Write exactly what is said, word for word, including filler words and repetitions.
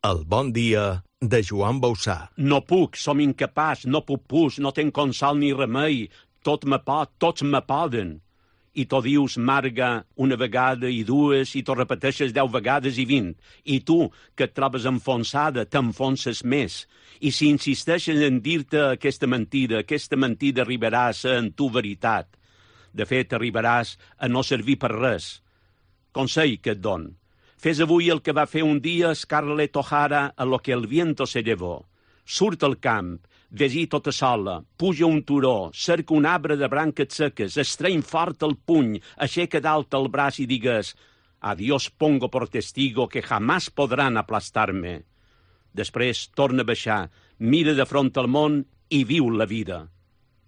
El bon dia de Joan Bausà. No puc, som incapaç, no puc pus, no tenc consol ni remei, tot me pot, tots me poden. I t'ho dius, Marga, una vegada i dues, i t'ho repeteixes deu vegades i vint. I tu, que et trobes enfonsada, t'enfonses més. I si insisteixes en dir-te aquesta mentida, aquesta mentida arribaràs en tu veritat. De fet, arribaràs a no servir per res. Consell que et don. Fes avui el que va fer un dia Scarlett O'Hara a Lo que el viento se llevó. Surt al camp, ves-hi tota sola, puja un turó, cerca un arbre de branques seques, estreny fort el puny, aixeca dalt el braç i digues «A Dios pongo por testigo que jamás podran aplastar-me». Després torna a baixar, mira de front al món i viu la vida.